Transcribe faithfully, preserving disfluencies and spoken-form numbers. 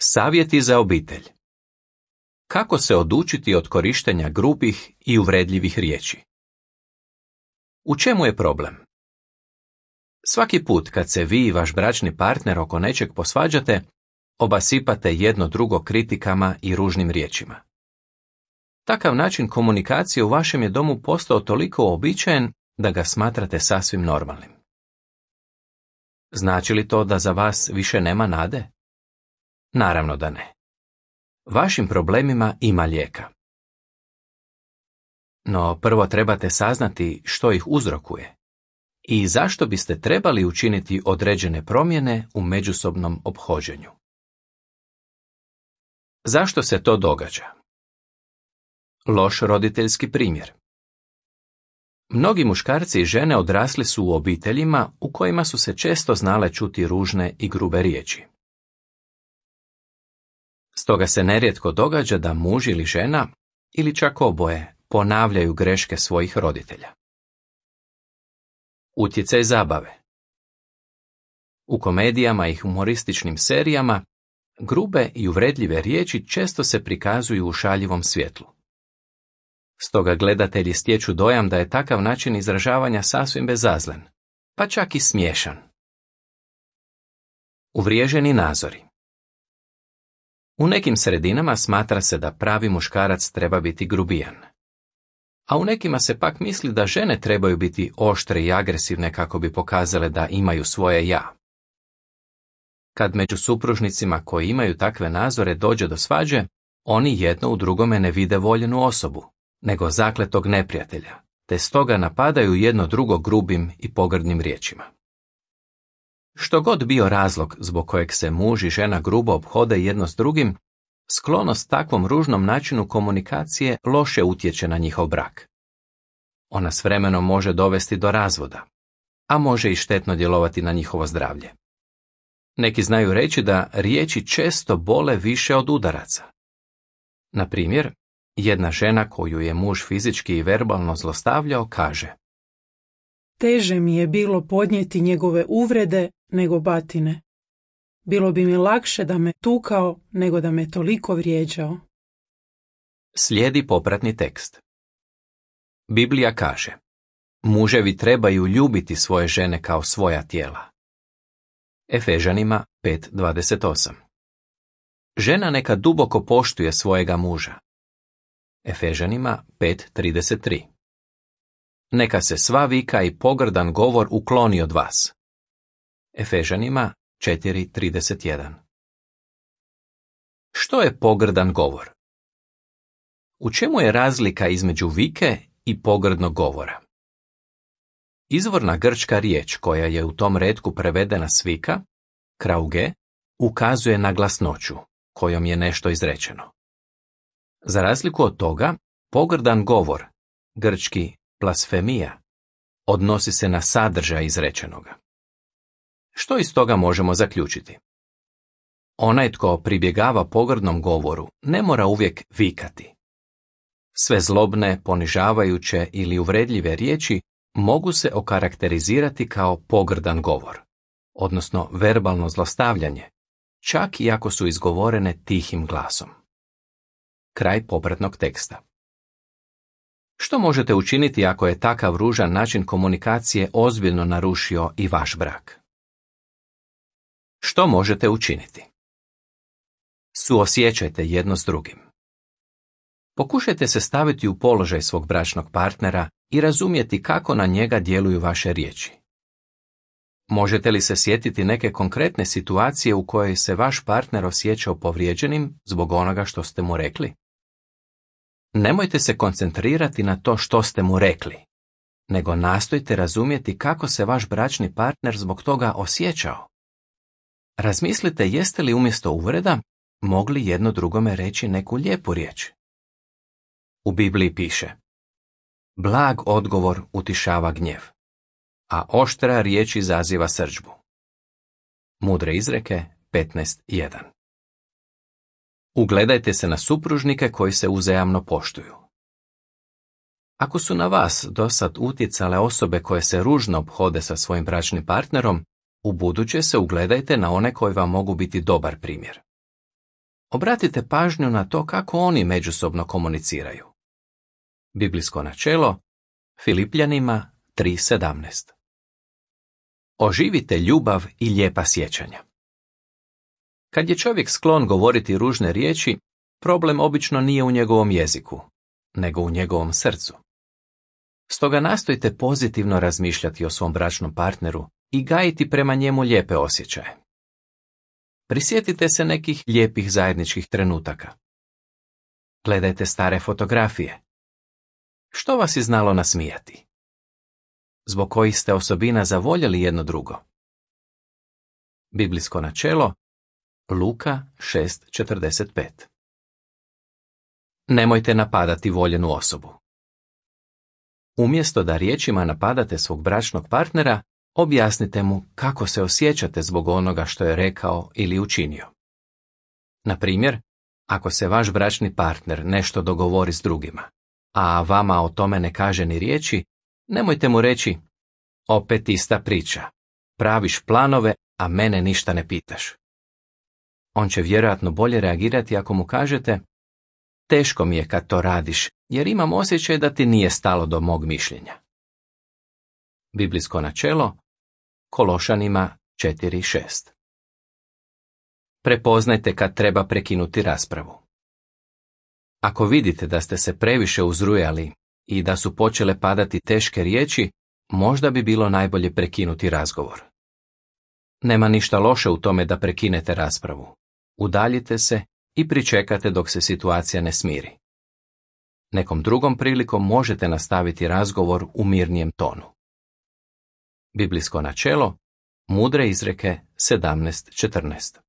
Savjeti za obitelj. Kako se odučiti od korištenja grubih i uvredljivih riječi? U čemu je problem? Svaki put kad se vi i vaš bračni partner oko nečeg posvađate, obasipate jedno drugo kritikama i ružnim riječima. Takav način komunikacije u vašem je domu postao toliko uobičajen da ga smatrate sasvim normalnim. Znači li to da za vas više nema nade? Naravno da ne. Vašim problemima ima lijeka. No prvo trebate saznati što ih uzrokuje i zašto biste trebali učiniti određene promjene u međusobnom ophođenju. Zašto se to događa? Loš roditeljski primjer. Mnogi muškarci i žene odrasli su u obiteljima u kojima su se često znale čuti ružne i grube riječi. Stoga se nerijetko događa da muž ili žena, ili čak oboje, ponavljaju greške svojih roditelja. Utjecaj zabave. U komedijama i humorističnim serijama grube i uvredljive riječi često se prikazuju u šaljivom svjetlu. Stoga gledatelji stječu dojam da je takav način izražavanja sasvim bezazlen, pa čak i smiješan. Uvriježeni nazori. U nekim sredinama smatra se da pravi muškarac treba biti grubijan, a u nekima se pak misli da žene trebaju biti oštre i agresivne kako bi pokazale da imaju svoje ja. Kad među supružnicima koji imaju takve nazore dođe do svađe, oni jedno u drugome ne vide voljenu osobu, nego zakletog neprijatelja, te stoga napadaju jedno drugo grubim i pogrdnim riječima. Što god bio razlog zbog kojeg se muž i žena grubo ophode jedno s drugim, sklonost takvom ružnom načinu komunikacije loše utječe na njihov brak. Ona s vremenom može dovesti do razvoda, a može i štetno djelovati na njihovo zdravlje. Neki znaju reći da riječi često bole više od udaraca. Na primjer, jedna žena koju je muž fizički i verbalno zlostavljao kaže: Teže mi je bilo podnijeti njegove uvrede nego batine. Bilo bi mi lakše da me tukao nego da me toliko vrijeđao. Slijedi popratni tekst. Biblija kaže: muževi trebaju ljubiti svoje žene kao svoja tijela. Efežanima pet dvadeset osam. Žena neka duboko poštuje svojega muža. Efežanima pet trideset tri. Neka se sva vika i pogrdan govor ukloni od vas. Efežanima četiri trideset jedan. Što je pogrdan govor? U čemu je razlika između vike i pogrdnog govora? Izvorna grčka riječ koja je u tom retku prevedena s vika, krauge, ukazuje na glasnoću kojom je nešto izrečeno. Za razliku od toga, pogrdan govor, grčki blasfemija, odnosi se na sadržaj izrečenoga. Što iz toga možemo zaključiti? Onaj tko pribjegava pogrdnom govoru ne mora uvijek vikati. Sve zlobne, ponižavajuće ili uvredljive riječi mogu se okarakterizirati kao pogrdan govor, odnosno verbalno zlostavljanje, čak i ako su izgovorene tihim glasom. Kraj popratnog teksta. Što možete učiniti ako je takav ružan način komunikacije ozbiljno narušio i vaš brak? Što možete učiniti? Suosjećajte jedno s drugim. Pokušajte se staviti u položaj svog bračnog partnera i razumjeti kako na njega djeluju vaše riječi. Možete li se sjetiti neke konkretne situacije u kojoj se vaš partner osjećao povrijeđenim zbog onoga što ste mu rekli? Nemojte se koncentrirati na to što ste mu rekli, nego nastojte razumjeti kako se vaš bračni partner zbog toga osjećao. Razmislite jeste li umjesto uvreda mogli jedno drugome reći neku lijepu riječ. U Bibliji piše: blag odgovor utišava gnjev, a oštra riječ izaziva srdžbu. Mudre izreke petnaest jedan. Ugledajte se na supružnike koji se uzajamno poštuju. Ako su na vas dosad utjecale osobe koje se ružno ophode sa svojim bračnim partnerom, ubuduće se ugledajte na one koji vam mogu biti dobar primjer. Obratite pažnju na to kako oni međusobno komuniciraju. Biblijsko načelo Filipljanima tri sedamnaest. Oživite ljubav i lijepa sjećanja. Kad je čovjek sklon govoriti ružne riječi, problem obično nije u njegovom jeziku, nego u njegovom srcu. Stoga nastojte pozitivno razmišljati o svom bračnom partneru i gajiti prema njemu lijepe osjećaje. Prisjetite se nekih lijepih zajedničkih trenutaka. Gledajte stare fotografije. Što vas je znalo nasmijati? Zbog kojih ste osobina zavoljeli jedno drugo? Biblijsko načelo Luka šest četrdeset pet. Nemojte napadati voljenu osobu. Umjesto da riječima napadate svog bračnog partnera, objasnite mu kako se osjećate zbog onoga što je rekao ili učinio. Na primjer, ako se vaš bračni partner nešto dogovori s drugima, a vama o tome ne kaže ni riječi, nemojte mu reći: opet ista priča, praviš planove, a mene ništa ne pitaš. On će vjerojatno bolje reagirati ako mu kažete: teško mi je kad to radiš, jer imam osjećaj da ti nije stalo do mog mišljenja. Biblijsko načelo Kološanima četiri šest. Prepoznajte kad treba prekinuti raspravu. Ako vidite da ste se previše uzrujali i da su počele padati teške riječi, možda bi bilo najbolje prekinuti razgovor. Nema ništa loše u tome da prekinete raspravu. Udaljite se i pričekate dok se situacija ne smiri. Nekom drugom prilikom možete nastaviti razgovor u mirnijem tonu. Biblijsko načelo Mudre izreke sedamnaest četrnaest.